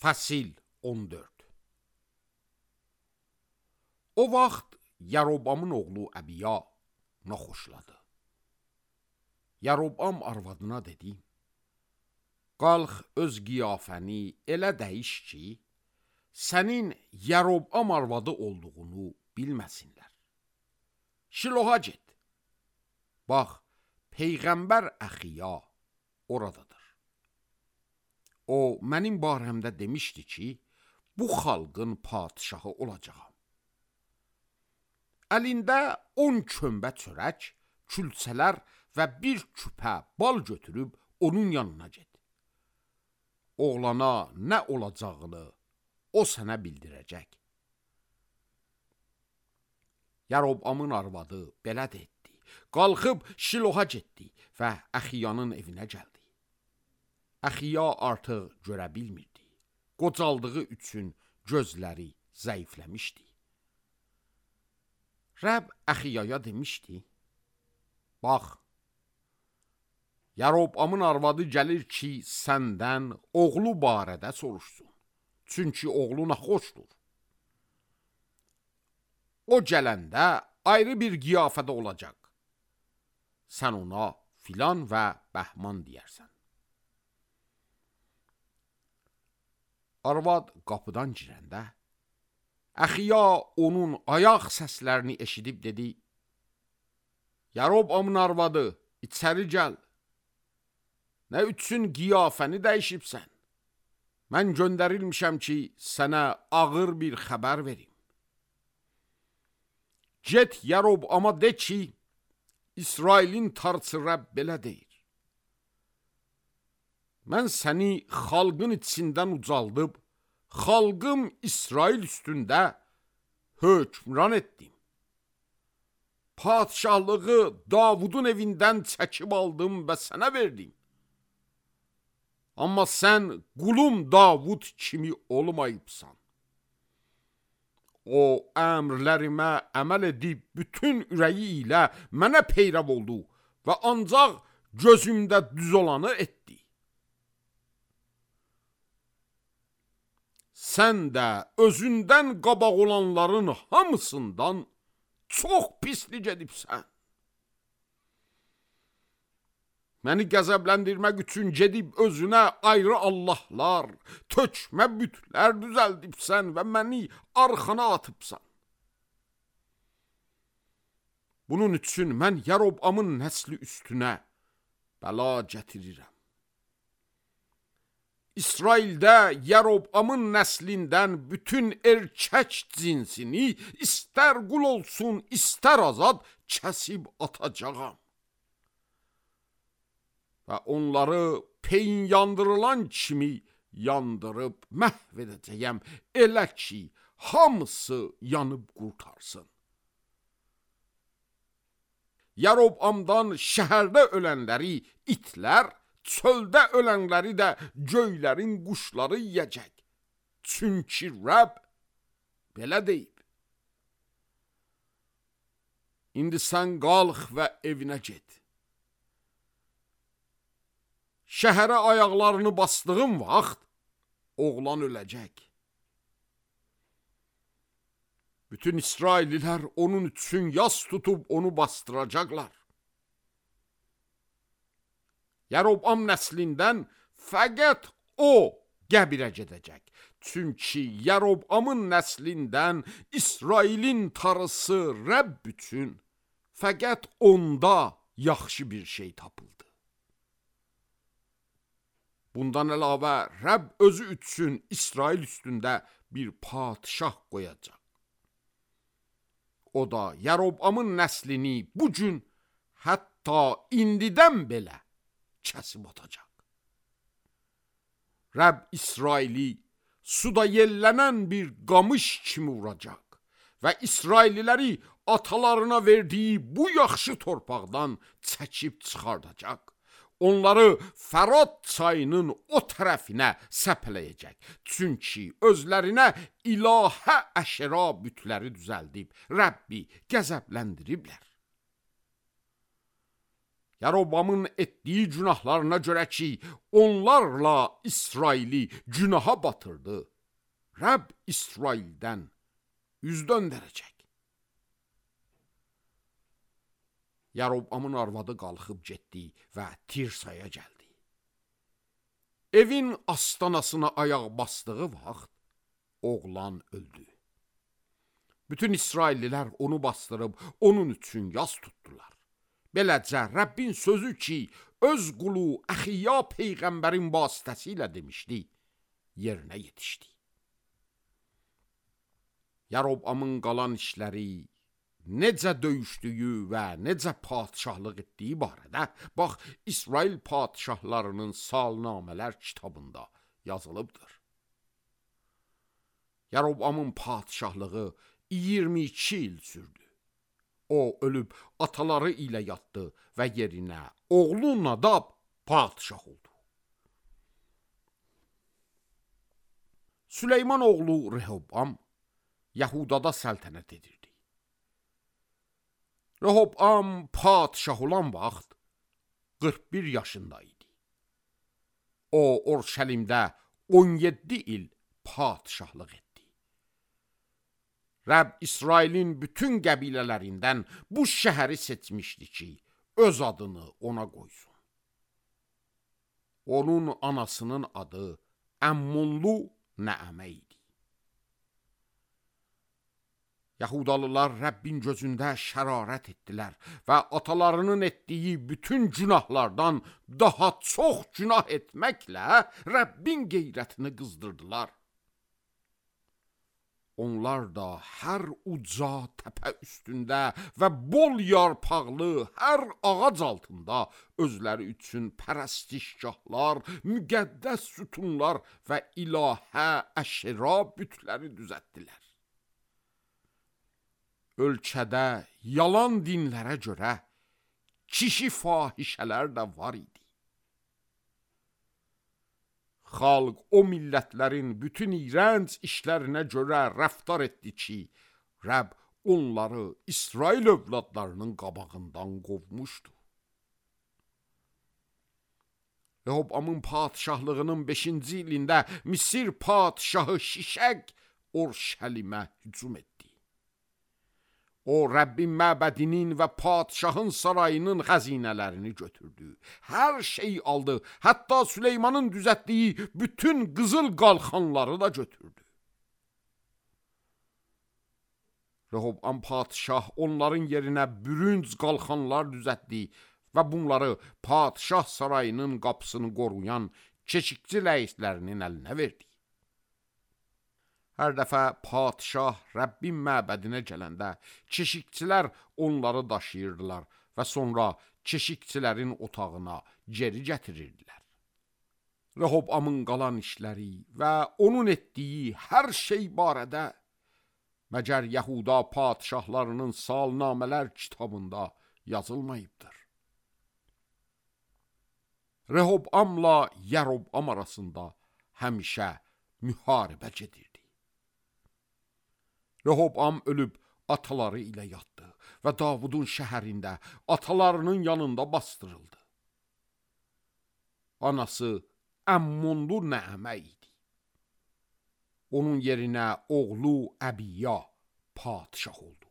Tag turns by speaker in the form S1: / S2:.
S1: Fəsil 14. O vaxt Yarobamın oğlu Əbiya naxoşladı. Yarobam arvadına dedi: qalx öz qiyafəni elə dəyiş ki, sənin Yarobam arvadı olduğunu bilməsinlər. Şiloha get. Bax, Peyğəmbər Əxiya oradadır. O, mənim barəmdə demişdi ki, bu xalqın padişahı olacağam. Əlində 10 kömbə çörək, külçələr və bir küpə bal götürüb onun yanına get. Oğlana nə olacağını o sənə bildirəcək. Yarobamın arvadı belə də etdi. Qalxıb Şiloha getdi və Əxiyanın evinə gəldi. Əxiya artıq görə bilmirdi. Qocaldığı üçün gözləri zəifləmişdi. Rəbb Əxiyaya demişdi: bax, Yarobamın arvadı gəlir ki, səndən oğlu barədə soruşsun. Çünki oğlu naxoşdur. O gələndə ayrı bir qiyafədə olacaq. Sən ona filan və bəhman deyərsən. Arvad qapıdan girəndə, Əxiya onun ayaq səslərini eşidib dedi: Yarobamın arvadı, içəri gəl. Nə üçün qiyafəni dəyişibsən? Mən göndərilmişəm ki, sənə ağır bir xəbər verim. Get Yarobama de ki, İsrailin tarçı Rəbb belə deyir: mən səni xalqın içindən ucaldıb, xalqım İsrail üstündə hökmran etdim. Padişahlığı Davudun evindən çəkib aldım və sənə verdim. Amma sən qulum Davud kimi olmayıbsan. O, əmrlərimə əməl edib bütün ürəyi ilə mənə peyrav oldu və ancaq gözümdə düz olanı etdi. Sən də özündən qabaq olanların hamısından çox pislik edibsən. Məni qəzəbləndirmək üçün gedib özünə ayrı Allahlar, tökmə bütlər düzəldibsən və məni arxana atıbsan. Bunun üçün mən Yarobamın nəsli üstünə bəla gətirirəm. İsraildə Yarobamın nəslindən bütün erkək cinsini, istər qul olsun, istər azad, kəsib atacağam. Və onları peyin yandırılan kimi yandırıb məhv edəcəyəm, elə ki, hamısı yanıb qurtarsın. Yarobamdan şəhərdə ölənləri itlər, çöldə ölənləri də göylərin quşları yiyəcək. Çünki Rəbb belə deyib. İndi sən qalx və evinə get. Şəhərə ayaqlarını bastığın vaxt oğlan öləcək. Bütün İsraililər onun üçün yas tutub onu bastıracaqlar. Yarobam nəslindən fəqət o qəbirə gedəcək. Çünki Yarobamın nəslindən İsrailin tarısı Rəbb üçün fəqət onda yaxşı bir şey tapıldı. Bundan əlavə Rəbb özü üçün İsrail üstündə bir padişah qoyacaq. O da Yarobamın nəslini bu gün, hətta indidən belə kəsib atacaq. Rəbb İsraili suda yellənən bir qamış kimi vuracaq və İsraililəri atalarına verdiyi bu yaxşı torpaqdan çəkib çıxardacaq. Onları Fərat çayının o tərəfinə səpələyəcək. Çünki özlərinə ilahə əşra bütləri düzəldib Rəbbi qəzəbləndiriblər. Yarobamın etdiyi günahlarına görə ki, onlarla İsraili günaha batırdı, Rəbb İsraildən üz döndərəcək. Yarobamın arvadı qalxıb getdi və Tirsaya gəldi. Evin astanasına ayaq basdığı vaxt oğlan öldü. Bütün İsraillilər onu bastırıb onun üçün yas tutdular. Beləcə Rəbbin sözü ki, öz qulu Əxiya peyğəmbərin vasitəsilə demişdi, yerinə yetişdi. Yarobamın qalan işləri, necə döyüşdüyü və necə padişahlıq etdiyi barədə, bax, İsrail padişahlarının salnamələr kitabında yazılıbdır. Yarobamın padişahlığı 22 il sürdü. O ölüb ataları ilə yatdı və yerinə oğlu Nadab padişah oldu. Süleyman oğlu Rehobam Yahudada səltənət edirdi. Rehobam padişah olan vaxt 41 yaşında idi. O, Orşəlimdə 17 il padişahlıq etdi. Rəbb İsrailin bütün qəbilələrindən bu şəhəri seçmişdi ki, öz adını ona qoysun. Onun anasının adı Əmmonlu Nəəmə idi. Yahudalılar Rəbbin gözündə şərarət etdilər və atalarının etdiyi bütün günahlardan daha çox günah etməklə Rəbbin qeyrətini qızdırdılar. Onlar da hər uca təpə üstündə və bol yarpaqlı hər ağac altında özləri üçün pərəstişgahlar, müqəddəs sütunlar və ilahə, əşra bütləri düzəltdilər. Ölkədə yalan dinlərə görə kişi fahişələr də var idi. Xalq o millətlərin bütün iyrənc işlərinə görə rəftar etdi ki, Rəbb onları İsrail övladlarının qabağından qovmuşdu. Rehobamın padişahlığının 5-ci ilində Misir padişahı Şişəq Orşəlimə hücum etdi. O, Rəbbin məbədinin və padişahın sarayının xəzinələrini götürdü. Hər şey aldı, hətta Süleymanın düzəltdiyi bütün qızıl qalxanları da götürdü. Rehobam padişah onların yerinə bürünc qalxanlar düzəltdi və bunları padişah sarayının qapısını qoruyan keşikçi rəislərinin əlinə verdi. Hər dəfə padişah Rəbbin məbədinə gələndə keşikçilər onları daşıyırdılar və sonra keşikçilərin otağına geri gətirirdilər. Rehobamın qalan işləri və onun etdiyi hər şey barədə məgər Yahuda padişahlarının salnamələr kitabında yazılmayıbdır. Rehobamla Yarobam arasında həmişə müharibə gedirdi. Rehobam ölüb ataları ilə yatdı və Davudun şəhərində atalarının yanında bastırıldı. Anası Əmmonlu Nəəmə idi. Onun yerinə oğlu Əbiya padişah oldu.